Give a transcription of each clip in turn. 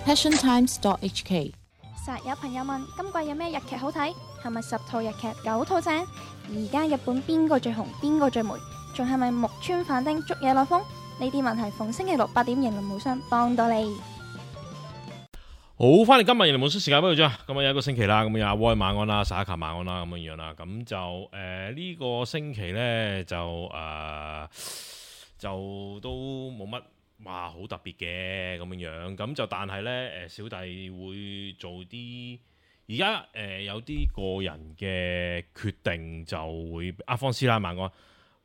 passiontimes.hk。實有朋友問今季有咩日劇好睇？係咪10套日劇9套正？而家日本邊個最紅？邊個最霉？仲係咪木村反町捉嘢落風？呢啲問題逢星期六8點迎龍無雙幫到你。好，翻嚟今日迎龍無雙時間俾佢啫。咁啊有一個星期啦，咁有阿威晚安啦，沙卡晚安啦，咁樣樣啦。咁就呢個星期咧就都冇乜話好特別嘅咁樣樣。咁就但係咧小弟會做啲而家有啲個人嘅決定就會阿方師奶晚安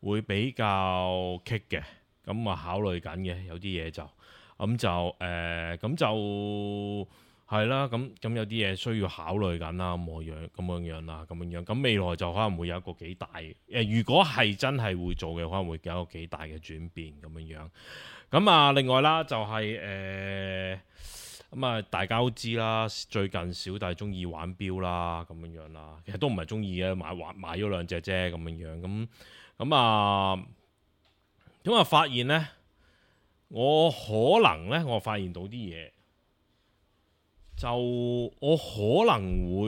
會比較棘嘅。咁啊考慮緊嘅有啲嘢就咁就係啦，咁有啲嘢需要考慮緊啦，咁樣啦，咁樣樣，咁未來就可能會有一個幾大如果係真係會做嘅，可能會有一個幾大嘅轉變咁樣樣。咁啊，另外啦，就係咁啊，大家都知啦，最近小弟中意玩錶啦，咁樣樣啦，其實都唔係中意嘅，買咗2隻啫，咁樣樣，咁啊，發現呢，我發現到啲嘢。就我可能會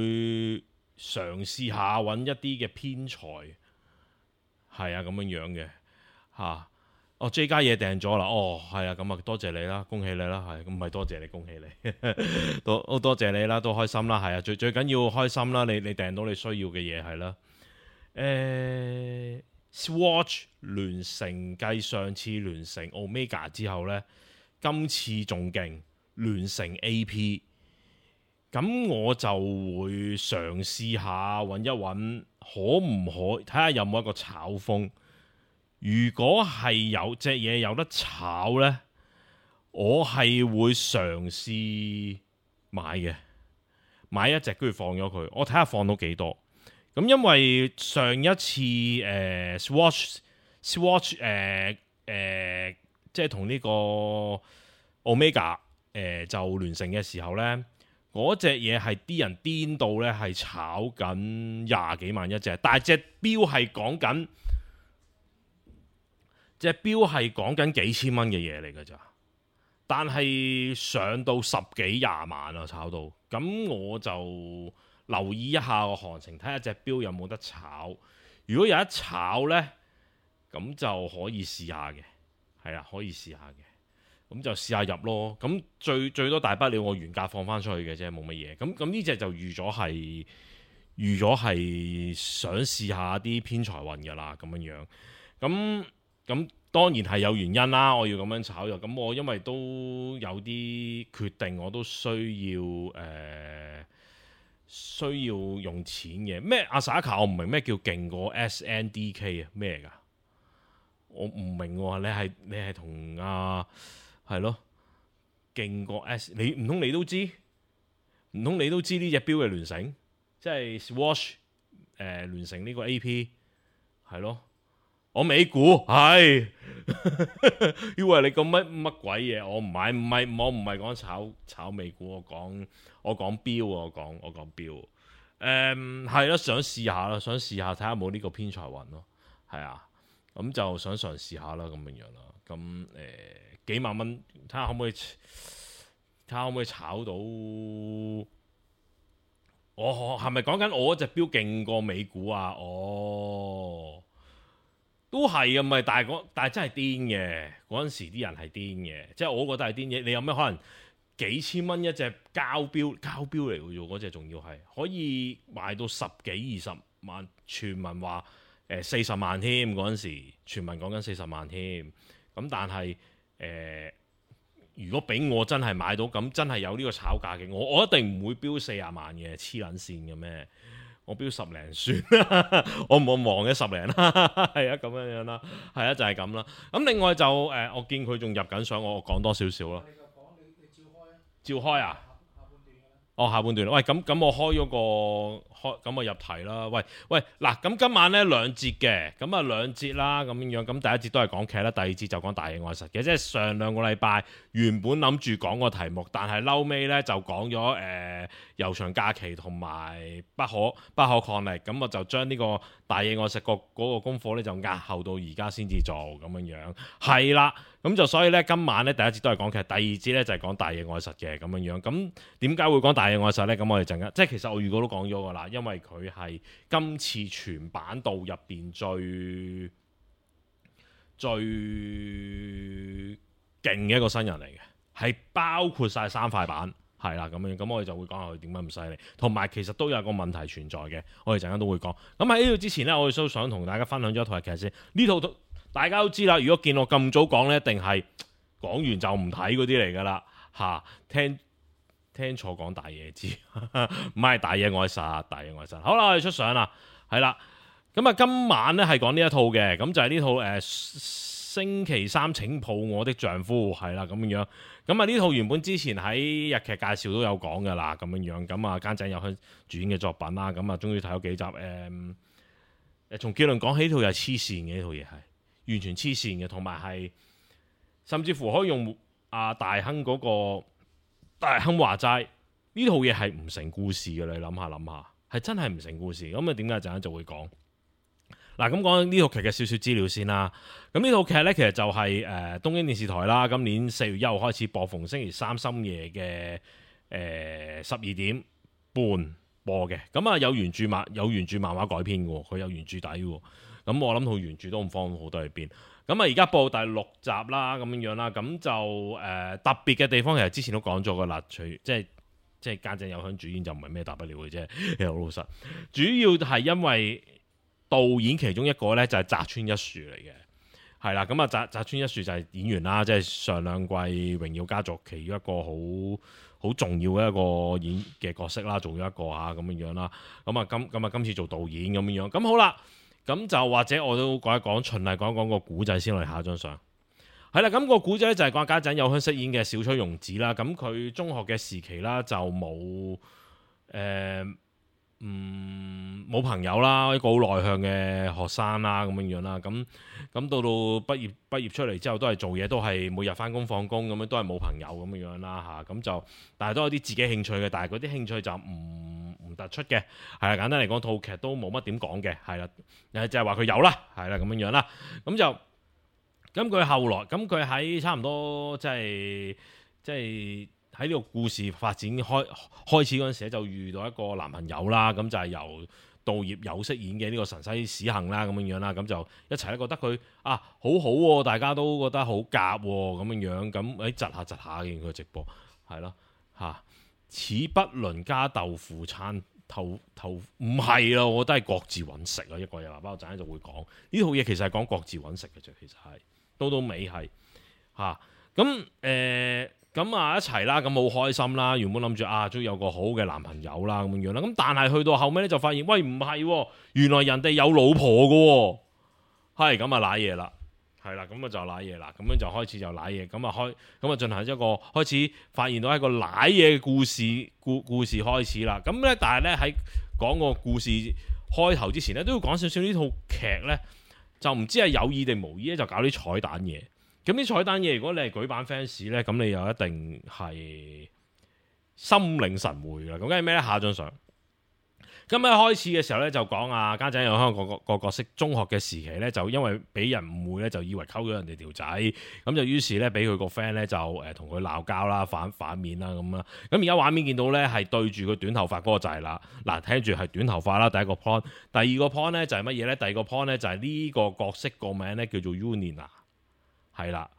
嘗試下揾一啲嘅編裁，係啊咁樣嘅嚇。J 家嘢訂咗啦，係啊，咁啊多謝你啦，恭喜你啦，係咁唔係多謝你，恭喜你，多謝你啦，都開心啦，係啊，最緊要開心啦，你訂到你需要嘅嘢係啦。Swatch 聯成繼上次聯成 Omega 之後呢，今次仲勁聯成 AP。咁我就會嘗試下揾一揾，可唔可睇下有冇一個炒風？如果係有隻嘢有得炒呢，我係會嘗試買嘅，買一隻跟住放咗佢，我睇下放到幾多。咁因為上一次Swatch 即係同呢個 Omega 就聯成嘅時候呢。嗰隻嘢係啲人癲到呢，係炒緊20幾萬一隻，但係隻錶係講緊幾千蚊嘅嘢嚟㗎咋，但係上到10幾20萬啊，炒到，咁我就留意一下個行情，睇下隻錶有冇得炒，如果有得炒呢，咁就可以試下嘅，係啦，可以試下嘅。咁就試下入咯，咁最多大不了我原價放翻出去嘅啫，冇乜嘢。咁呢隻就預咗係想試下啲偏財運㗎啦，咁樣。咁當然係有原因啦，我要咁樣炒入。咁我因為都有啲決定，我都需要用錢嘅。咩阿 Saka 我唔明咩叫勁過 SNDK 啊？咩嚟㗎？我唔明喎，你係同阿係咯，勁過 S， 你唔通你都知？唔通你都知呢隻錶嘅聯成，即係 Swatch 聯成呢個 AP 係咯，我美股係，以為你講乜鬼嘢？我唔係講炒美股，我講錶，我講錶，係咯，想試下啦，睇下有冇呢個偏財運咯，係啊，咁就想嘗試下啦，咁樣啦，咁幾萬蚊，睇下可唔可以炒到？我係咪講緊我隻錶勁過美股啊？都係啊，咪但係真係癲嘅。嗰陣時啲人係癲嘅，即係我覺得係癲嘅。你有咩可能幾千蚊一隻膠錶嚟嘅啫？嗰隻仲要係可以賣到10幾20萬，傳聞話40萬添。嗰陣時傳聞講緊40萬添。咁但係如果俾我真係買到，咁真係有呢個炒價嘅，我一定唔會標40萬嘅，黐撚線嘅咩？我標10零算，我唔望嘅10零啦，係啊咁樣啦，係啊就係咁啦。咁另外就我見佢仲入緊相，我講多少少啦。照開啊？下半段，喂，咁我開咗咁我入題啦。喂，嗱，咁今晚呢兩節嘅，咁啊兩節啦，咁樣，咁第一節都係講劇啦，第二節就講大野愛實嘅，即係上兩個禮拜原本諗住講個題目，但係嬲尾呢就講咗悠長假期同埋不可抗力，咁我就將呢個大野愛實嗰個功課呢就押後到而家先至做咁樣，係啦。咁就所以咧，今晚咧第一節都係講劇，第二節咧就係講大野愛實嘅咁樣。咁點解會講大野愛實咧？咁我哋陣間即係其實我預告都講咗噶啦，因為佢係今次全版道入邊最勁嘅一個新人嚟嘅，係包括晒3塊板，係啦咁樣。咁我哋就會講下佢點解咁犀利，同埋其實都有個問題存在嘅，我哋陣間都會講。咁喺呢度之前咧，我哋都想同大家分享咗一套劇先。呢套大家都知啦，如果見我咁早講呢，一定係講完就唔睇嗰啲嚟噶啦嚇。聽錯講大野知，唔係大野愛實，大野愛實。好啦，我哋出相啦，係啦。咁啊，今晚呢係講呢一套嘅，咁就係呢套星期三請抱我的丈夫，係啦咁樣。咁啊，呢套原本之前喺日劇介紹都有講噶啦，咁樣。咁啊，菅井友香主演嘅作品啦，咁啊，終於睇咗幾集。從結論講起，呢套又係黐線嘅，呢套嘢係。完全黐線嘅，同埋係甚至乎可以用大亨嗰個大亨話齋，呢套嘢係唔成故事嘅。你諗下，係真係唔成故事。咁啊，點解陣間就會講？嗱，咁講呢套劇嘅少少資料先啦。咁呢套劇呢，其實就係東京電視台啦，今年4月1號開始播，逢星期三深夜嘅12點半播嘅。咁啊，有原著漫畫改編嘅，佢有原著底嘅。咁我諗套原著都唔方好多喺邊。咁啊，而家播第6集啦，咁樣啦。咁就特別嘅地方，其實之前都講咗噶啦。即係菅井友香主演就唔係咩大不了嘅啫。其實好老實，主要係因為導演其中一個咧就係澤村一樹嚟嘅，係啦。咁啊，澤村一樹就係演員啦，即係上兩季《榮耀家族》其中一個好重要嘅一個演嘅角色啦，做咗一個咁樣啦。咁啊，今次做導演咁樣。咁好啦。咁就或者我都講一講，循例講一講個古仔先。我哋下一張相係啦。咁個古仔就係講菅井友香飾演嘅小崔庸子啦。咁佢中學嘅時期啦，就冇朋友啦，一個好內向嘅學生啦，咁樣啦。咁到畢業出嚟之後，都係做嘢，都係每日翻工放工咁樣，都係冇朋友咁樣啦嚇。咁就但係都有啲自己興趣嘅，但係嗰啲興趣就唔突出嘅。係啦，簡單嚟講，套劇都冇乜點講嘅。係啦，就係話佢有啦，係啦咁樣啦。咁佢後來咁佢喺差唔多即係喺呢個故事發展開始嗰陣時就遇到一個男朋友啦。咁就係由道葉友飾演嘅呢個神西史幸啦，咁樣啦。咁就一齊咧覺得佢好好喎，大家都覺得好夾喎，咁樣。咁窒下見佢直播係咯嚇，似不倫家豆腐餐頭唔係咯，我覺得係各自揾食啊。一個嘢喇叭，我陣間就會講呢套嘢其實係講各自揾食嘅啫，其實係到尾係咁一齊啦，咁好開心啦。原本諗住終於有個好嘅男朋友啦，咁樣啦。咁但係去到後尾咧就發現，喂，唔係，原來人哋有老婆嘅，係咁啊瀨嘢啦，係啦，咁啊就瀨嘢啦，咁樣就開始就瀨嘢，咁啊進行一個開始發現到一個瀨嘢嘅故事開始啦。咁咧，但係咧喺講個故事開頭之前咧，都要講少少呢套劇咧，就唔知係有意定無意咧，就搞啲彩蛋嘢。咁啲彩蛋嘢，如果你係舉版 fans 咧，咁你又一定係心領神會啦。咁梗係咩咧？下張相。今日開始嘅時候咧，就講菅井友香個角色中學嘅時期咧，就因為俾人誤會咧，就以為溝咗人哋條仔，咁就於是咧俾佢個 friend 咧就同佢鬧交啦，反面啦咁啦。咁而家畫面見到咧係對住佢短頭髮嗰個就係啦。嗱，聽住係短頭髮啦，第一個 point。第二個 point 咧就係乜嘢咧？第二個 point 咧就係呢個角色個名咧叫做 Unina。係啦，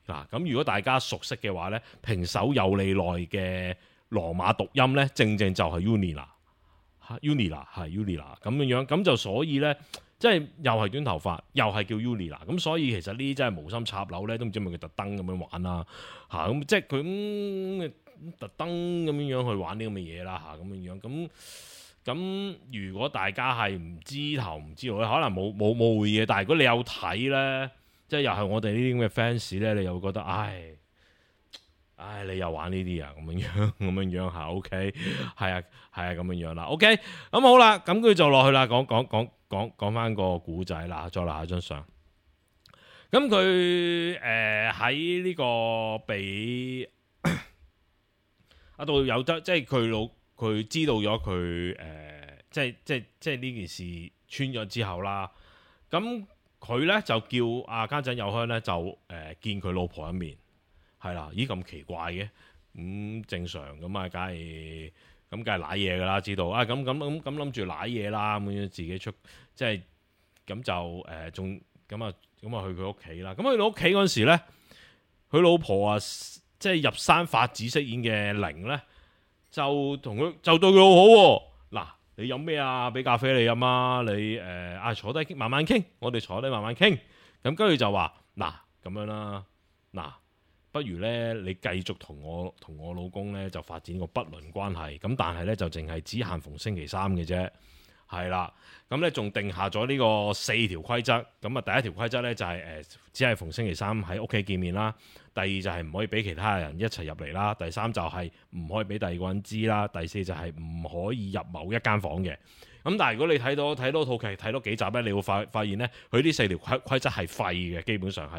嗱，咁如果大家熟悉嘅話咧，平手友理奈嘅羅馬讀音咧，正就係 Unina 係 Unina 咁樣，咁就所以咧，即係又係短頭髮，又係叫 Unina，咁所以其實呢啲真係無心插柳咧，都唔知係咪佢特登咁樣玩啦嚇，咁即係佢特登咁樣去玩啲咁嘅嘢啦嚇，咁樣咁如果大家係唔知頭唔知道咧，可能冇會嘅，但係如果你有睇咧。即係又係我哋呢啲咁嘅 fans 咧，你又會覺得，唉，你又玩呢啲啊，咁樣嚇，OK，係啊咁樣啦，OK，咁好啦，咁跟住就落去啦，講翻個古仔啦，再落下張相。咁佢喺呢個俾阿道友即係佢知道咗佢即係呢件事穿咗之後啦，咁佢咧就叫阿家陣有香咧就見佢老婆一面。係啦，咦咁奇怪嘅，正常咁啊，梗係舐嘢噶啦，知道啊，咁諗住舐嘢啦，咁樣自己出，即係咁就仲咁啊去佢屋企啦。咁去到屋企嗰陣時咧，佢老婆啊，即係入山法子飾演嘅玲咧，就對佢好好喎。嗱，你飲咩啊？俾咖啡你飲啊！你坐低慢慢傾，我哋坐低慢慢傾。咁跟住就話嗱咁樣啦，嗱。不如咧，你繼續同我老公咧就發展個不倫關係，咁但係咧就淨係只限逢星期三嘅啫，係啦。咁咧仲定下咗呢個4條規則，咁啊第一條規則咧就係只係逢星期三喺屋企見面啦，第二就係唔可以俾其他人一齊入嚟啦，第三就係唔可以俾第二個人知啦，第四就係唔可以入某一間房嘅。咁但係如果你睇到套劇睇多幾集咧，你會發現咧，佢呢4條規則係廢嘅，基本上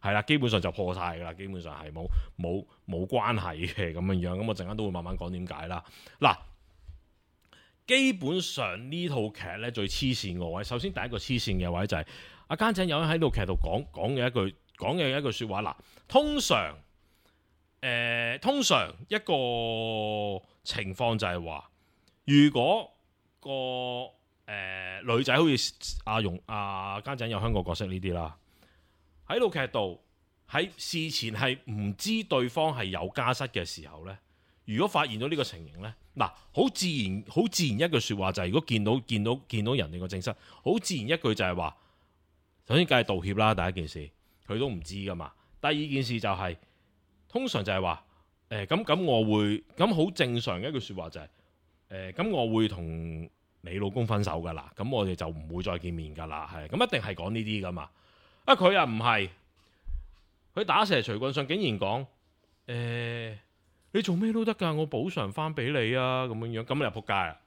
係啦，基本上就破晒㗎啦，基本上係冇關係嘅咁樣。咁我陣間都會慢慢講點解啦。嗱，基本上呢套劇咧最黐線個位，首先第一個黐線嘅位就係阿家陣有人喺套劇度講嘅一句説話。嗱，通常一個情況就係話，如果女仔好似阿家陣有香港角色呢啲啦，喺套劇度喺事前係唔知對方係有家室嘅時候呢，如果發現到呢個情形呢，嗱，好自然一句説話就係，如果見到人哋個正室，好自然一句就係話，首先梗係道歉啦，第一件事佢都唔知噶嘛，第二件事就係通常就係話咁我會咁好正常嘅一句説話就係咁我會同你老公分手噶啦，咁我哋就唔會再見面噶啦，係咁一定係講呢啲噶嘛。佢又唔係，佢打蛇隨棍上，竟然講你做咩都得噶，我補償翻俾你啊，咁樣咁你就仆街啦。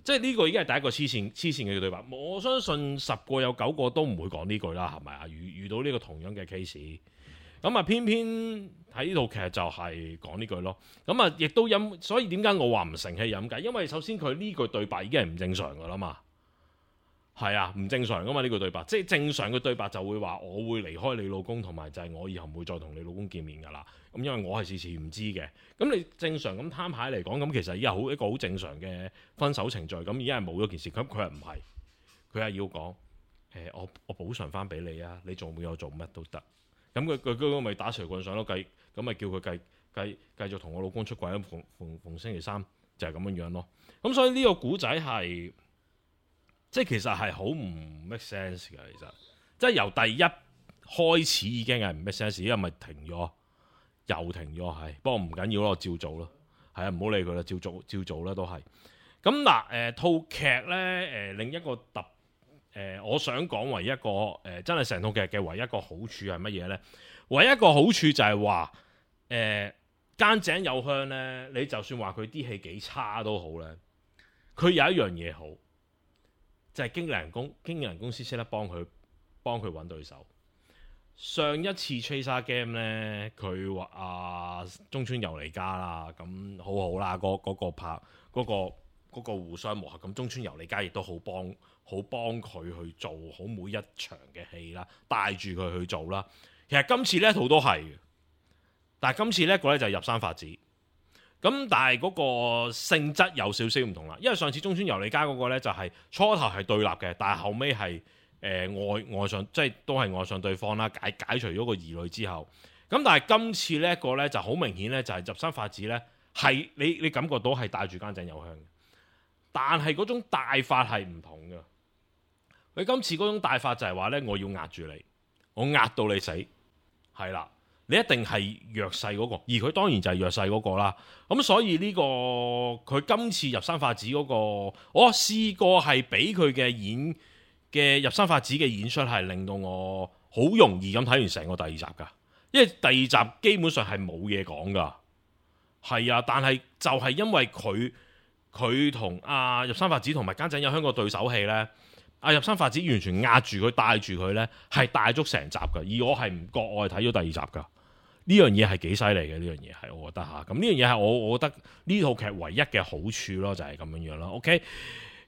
即係呢個已經係第一個黐線嘅對白。我相信10個有9個都唔會講呢句啦，係咪啊？遇到呢個同樣嘅 case。咁啊，偏偏喺呢套劇就係講呢句咯。咁啊，亦都所以點解我話唔成器飲計？因為首先佢呢句對白已經係唔正常噶啦嘛。係啊，唔正常噶嘛呢句對白。即係正常嘅對白就會話我會離開你老公，同埋就係我以後唔會再同你老公見面噶啦。咁因為我係事前唔知嘅。咁你正常咁攤牌嚟講，咁其實已經一個好正常嘅分手程序。咁已經係冇咗件事。咁佢係唔係？佢係要講我補償翻俾你啊！你做冇有做乜都得。咁佢咪打隨棍上咯，咁咪叫佢繼續同我老公出軌，逢星期三就係咁樣咯。咁所以呢個古仔係即係其實係好唔 make sense 嘅，其實即係由第一開始已經係唔 make sense，因為咪停咗，又停咗係。不過唔緊要咯，照做咯，係啊，唔好理佢啦，照做啦都係。咁嗱套劇咧另一個我想講唯一一個真係成套劇嘅唯一一個好處係乜嘢呢？唯一一個好處就係話間井有香呢，你就算話佢啲戲幾差都好呢，佢有一樣嘢好，就係經紀人公司識得幫佢揾對手。上一次 Tracer Game 呢，佢話中村悠梨加啦，咁好好啦，嗰個互相磨合，咁中村悠梨加亦都好幫佢去做好每一場嘅戲啦，帶住佢去做啦。其實今次呢一套都係嘅，但係今次呢一個咧就係入山法子，咁但係嗰個性質有少少唔同啦。因為上次中村悠梨加嗰個咧就係初頭係對立嘅，但係後尾係愛上，即係都係愛上對方啦，解除咗個疑慮之後，咁但係今次呢一個咧就好明顯咧就係入山法子咧係你感覺到係帶住間井有香嘅。但係嗰種帶法係唔同嘅，佢今次嗰種帶法就係話呢：我要壓住你，我壓到你死，係啦，你一定係弱勢嗰個，而佢當然就係弱勢嗰個啦。咁所以呢個佢今次入山法子嗰個，我試過係俾佢嘅入山法子嘅演出係令到我好容易咁睇完成個第二集㗎，因為第二集基本上係冇嘢講㗎。係啊，但係就係因為佢同阿入山發子同埋菅井友香個對手戲呢，阿入山發子完全壓住佢帶住佢呢，係帶足成集㗎，而我係唔覺我係睇咗第二集㗎。呢樣嘢係幾犀利嘅，呢樣嘢係我覺得嚇。咁呢樣嘢係我覺得呢套劇唯一嘅好處咯，就係咁樣樣咯。OK，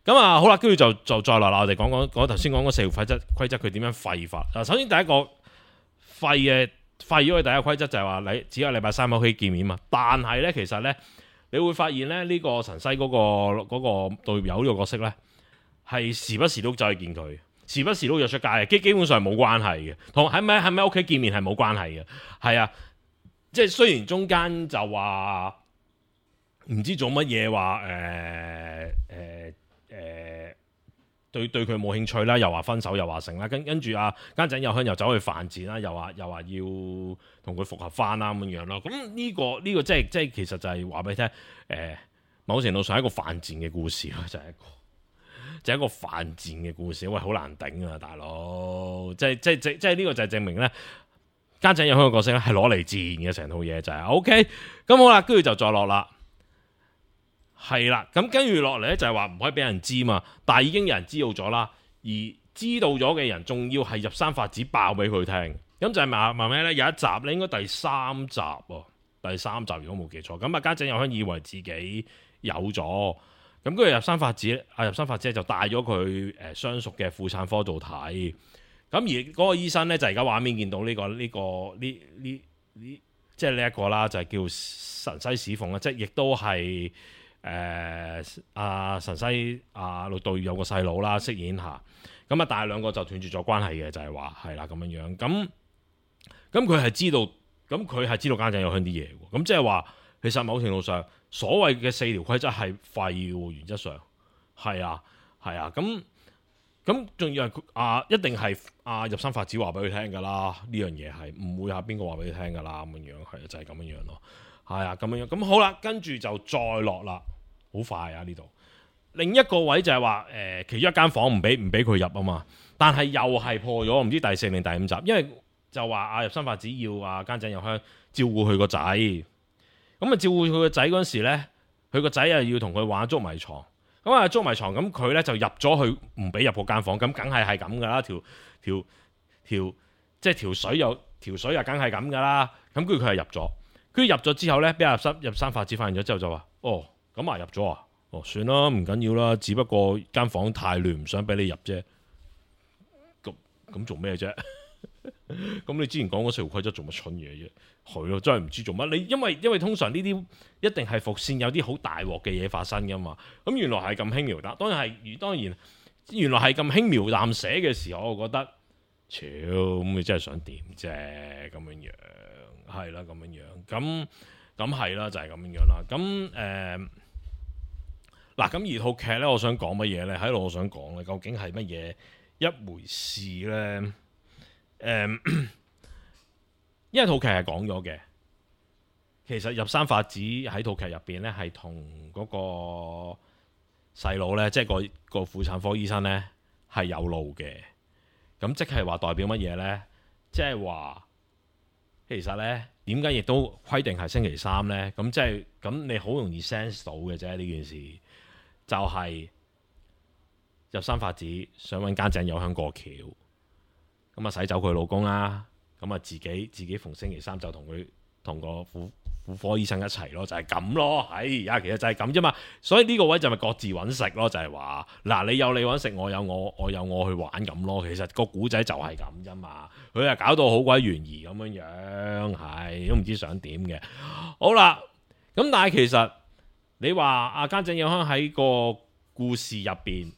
咁啊好啦，跟住就再落啦。我哋講頭先講嗰4條規則，佢點樣廢法？嗱，首先第一個廢咗嘅第一個規則就係話你只有禮拜三可以見面嘛。但係咧，其實咧你會發現咧，呢個神西嗰個隊友呢個角色咧，係時不時都走去見佢，時不時都約出街嘅，基本上冇關係嘅，同喺咪喺屋企見面係冇關係嘅，係啊。即係雖然中間就話唔知做乜嘢，話對佢冇興趣啦，又話分手，又話成啦，跟住啊菅井友香又走去犯賤啦，又話要同佢復合翻啦咁樣咯。咁呢個即係其實就係話俾你聽，某程度上係一個犯賤嘅故事咯，就係一個犯賤嘅故事，喂，好難頂啊，大佬！即係呢個就係證明咧。菅井友香嘅角色咧係攞嚟自然嘅，成套嘢就係 OK， 咁好啦，跟住就再落啦，係啦，咁跟住落嚟咧就係話唔可以俾人知嘛，但係已經有人知道咗啦，而知道咗嘅人仲要係入山發子爆俾佢聽，咁就係話咩咧？有一集咧，應該第三集如果冇記錯，咁啊菅井友香以為自己有咗，咁跟住入山發子就帶咗佢相熟嘅婦產科度睇。咁而嗰個醫生咧就係而家畫面見到即係呢一個啦，就係叫神西史鳳啦，即係亦都係神西陸道有個細佬啦，飾演下。咁啊，但係兩個就斷絕咗關係嘅，就係話係啦咁樣樣。咁佢係知道，菅井友香啲嘢喎。咁即係話，其實某程度上，所謂嘅4條規則係廢嘅，原則上係啊。咁仲要係一定係入山發子話俾佢聽㗎啦，呢樣嘢係唔會邊個話俾佢聽㗎啦，咁樣係就係咁樣咯，係啊咁樣。咁好啦，跟住就再落啦，好快啊呢度。另一個位就係話其中一間房唔俾佢入啊嘛，但係又係破咗，唔知第4定第5集，因為就話入山發子要菅井友香照顧佢個仔，咁啊照顧佢個仔嗰陣時咧，佢個仔又要同佢玩捉迷藏。咁啊捉迷藏，咁佢咧就入咗去，唔俾入嗰間房，咁梗係咁噶啦，即係條水又梗係咁噶啦。咁跟住佢係入咗，跟住入咗之後咧，俾入山發子發現咗之後就話：哦，咁入咗啊？哦，算啦，唔緊要啦，只不過間房太亂，唔想俾你入啫。咁做咩啫？咁你之前講嗰4條規則做乜蠢嘢啫？係咯，真係唔知做乜。你因為通常呢啲一定係伏線有啲好大鑊嘅嘢發生噶嘛。咁原來係咁輕描淡，當然原來係咁輕描淡寫嘅時候，我覺得，咁你真係想點啫？咁樣樣係啦，咁樣樣咁係啦，就係咁樣樣啦。咁嗱，咁而套劇咧，我想講乜嘢咧？喺度我想講咧，究竟係乜嘢一回事咧？因為套劇係講咗嘅，其實入山發子喺套劇入邊咧，係同嗰個細佬咧，即係個婦產科醫生咧，係有路嘅。咁即係話代表乜嘢咧？即係話其實咧，點解亦都規定係星期三咧？咁即係咁，你好容易 sense 到嘅啫。呢件事就係入山發子想揾菅井友香過橋。咁啊，使走佢老公啦，咁啊自己逢星期三就同個婦科醫生一齊咯，就係咁咯，其實就係咁啫嘛。所以呢個位就咪各自揾食咯，就係話嗱，你有你揾食，我有我去玩咁咯。其實個古仔就係咁啫嘛，佢啊搞到好鬼懸疑咁樣樣，係都唔知想點嘅。好啦，咁但係其實你話菅井友香喺個故事入邊，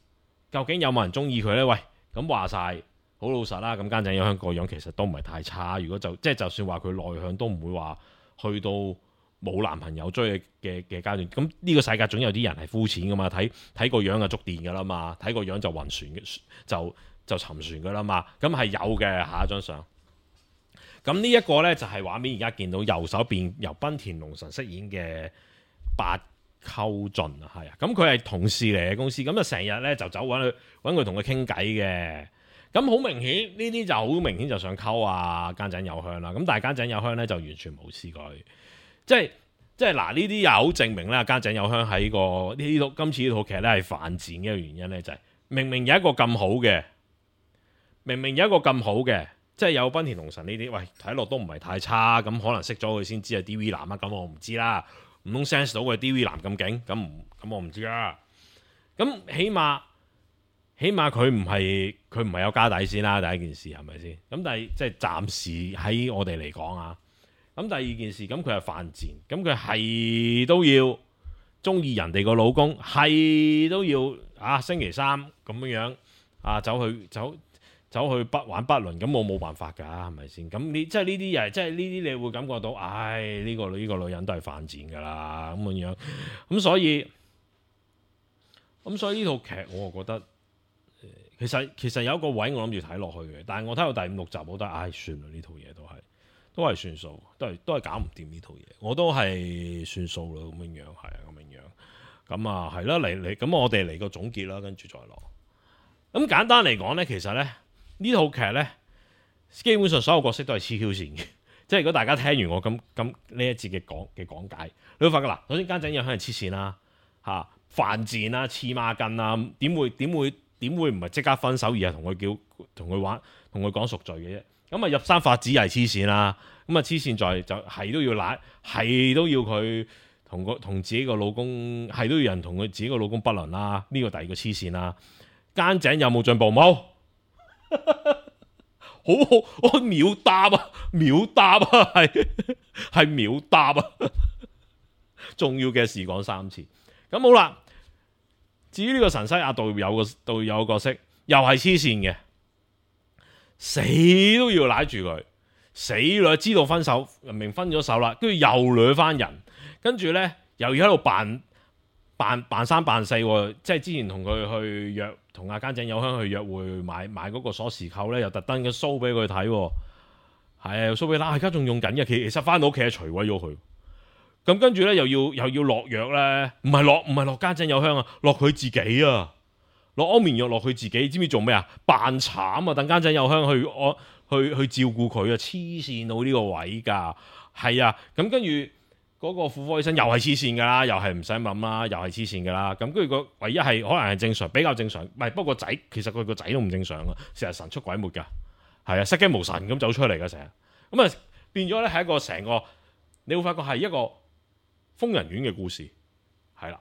究竟有冇人中意佢呢？喂，咁話晒。好老實啦，咁菅井友香個樣其實都唔係太差。如果就算話佢內向，都唔會話去到冇男朋友追嘅階段。咁呢個世界總有啲人係膚淺噶嘛，睇個樣就觸電噶啦嘛，睇個樣就暈船就沉船噶啦嘛。咁係有嘅，下一張相。咁呢一個呢，就係畫面而家見到右手邊由濱田龍臣飾演嘅八溝俊啊，係啊。咁佢係同事嚟嘅公司，咁就成日呢就走揾佢同佢傾偈嘅。咁好明顯，呢啲就好明顯就想溝菅井友香啦。咁但係菅井友香咧就完全冇試過，即係即係嗱，呢啲又好證明咧，家井有香喺今次呢套劇咧係犯賤嘅一個原因咧，就係明明有一個咁好嘅，即係有濱田龍臣呢啲，喂睇落都唔係太差，咁可能識咗佢先知係 DV 男啊，咁我唔知啦，唔通 sense 到佢 DV 男咁勁，咁我唔知啦。咁起碼佢唔係有家底先啦，第一件事係咪先？咁但係即係暫時喺我哋嚟講啊。咁第二件事，咁佢係犯賤，咁佢係都要中意人哋個老公，係都要星期三咁樣走去玩不倫，咁我冇辦法㗎，係咪先？咁你即係呢啲嘢，即係呢啲你會感覺到，呢個女人都係犯賤㗎啦，咁樣。咁所以呢套劇我覺得，其實有一個位我諗住睇落去嘅，但係我睇到第5、6集，我覺得算啦，呢套嘢都係算數，都係搞唔掂呢套嘢，我都係算數啦，咁樣係啊，咁樣。咁係啦，咁我哋嚟個總結啦，跟住再落。咁簡單嚟講呢，其實呢套劇呢，基本上所有角色都係黐 Q 線嘅。即係如果大家聽完我咁呢一節嘅講解，你會發覺嗱，首先家井有香係黐線啦，犯賤啦，黐孖筋啦，點會唔係即刻分手，而係同佢玩，同佢講贖罪嘅啫。咁入山法子又係黐線啦，咁黐線就係都要係都要佢同自己個老公，係都要人同佢自己個老公不倫啦。呢個第二個黐線啦。間井有冇進步？冇，好，我秒答啊，係秒答啊。重要嘅事講3次。咁好啦，至於呢個神西亞道友個角色，又係黐線嘅。死都要拉住佢，死啦！知道分手，明分咗手啦，跟住又掠翻人，跟住呢，又要喺度扮三扮四，即係之前同佢去約，同阿間井有香去約會買嗰個鎖匙扣呢，又特登嘅 show 俾佢睇，係啊 show 俾啦，而家仲用緊嘅，其實翻到屋企係除毀咗佢，咁跟住呢，又要落藥呢，唔係落間井有香啊，落佢自己啊！落安眠藥落佢自己，知唔知做咩啊？扮慘啊！等間井有香去照顧佢啊！黐線到呢個位㗎，係啊！咁跟住嗰個婦科醫生又係黐線㗎啦，又係唔使諗啦，又係黐線㗎啦。咁跟住個唯一係可能係正常，比較正常，唔係不過其實佢個仔都唔正常啊，成日神出鬼沒㗎，係啊，失驚無神咁走出嚟㗎成日，咁啊變咗咧係一個成個，你會發覺係一個瘋人院嘅故事，係啦。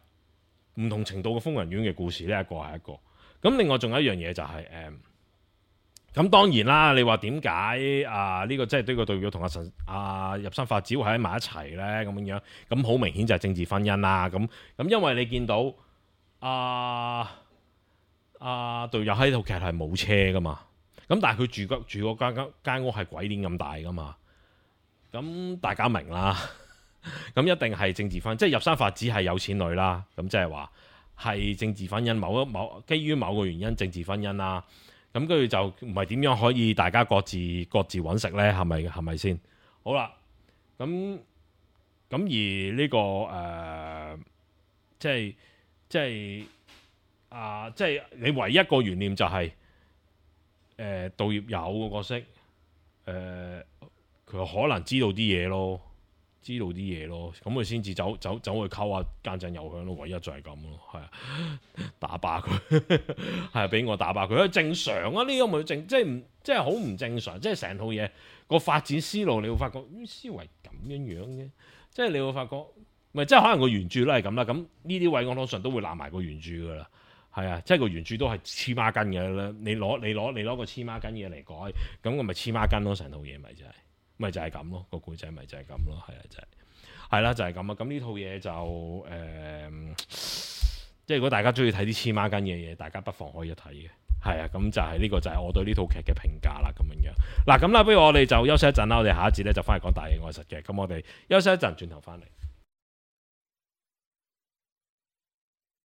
唔同程度嘅瘋人院嘅故事呢，一個係一個。咁另外仲有一樣嘢就係咁當然啦，你話點解呢個即係呢個對表同入山法子會喺埋一齊呢？咁樣咁好明顯就係政治婚姻啦。咁因為你見到隊友喺套劇係冇車噶嘛，咁但係佢住嗰間屋係鬼鏈咁大噶嘛，咁大家明啦。咁一定係政治婚姻，即係入山法子係有錢女啦。咁即係話係政治婚姻，基於某個原因政治婚姻啦。咁跟住就唔係點樣可以大家各自揾食呢？係咪先？好啦，咁而呢個即係你唯一一個懸念就係道業有個角色，佢可能知道啲嘢咯。咁佢先至走去溝下間井有香咯，唯一就係咁咯，係啊，打靶佢，係啊，俾我打靶佢，正常啊，呢個咪即係好唔正常，即係成套嘢個發展思路，你會發覺思維咁樣嘅，即係你會發覺，咪即係可能個原著都係咁啦，咁呢啲位我通常都會攬埋個原著噶啦，係啊，即係個原著都係黐孖筋嘅啦，你攞個黐孖筋嘢嚟改，咁我咪黐孖筋咯，成套嘢咪就係。咪就係咁咯，個故仔咪就係咁咯，係啊，係啦，就係咁啊。咁呢套嘢就即係如果大家中意睇啲黐孖筋嘅嘢，大家不妨可以一睇嘅，係啊。咁就係呢個就係我對呢套劇嘅評價啦，咁樣。嗱，咁啦，不如我哋就休息一陣啦，我哋下一節咧就翻嚟講大戲愛實嘅。咁我哋休息一陣，轉頭翻嚟。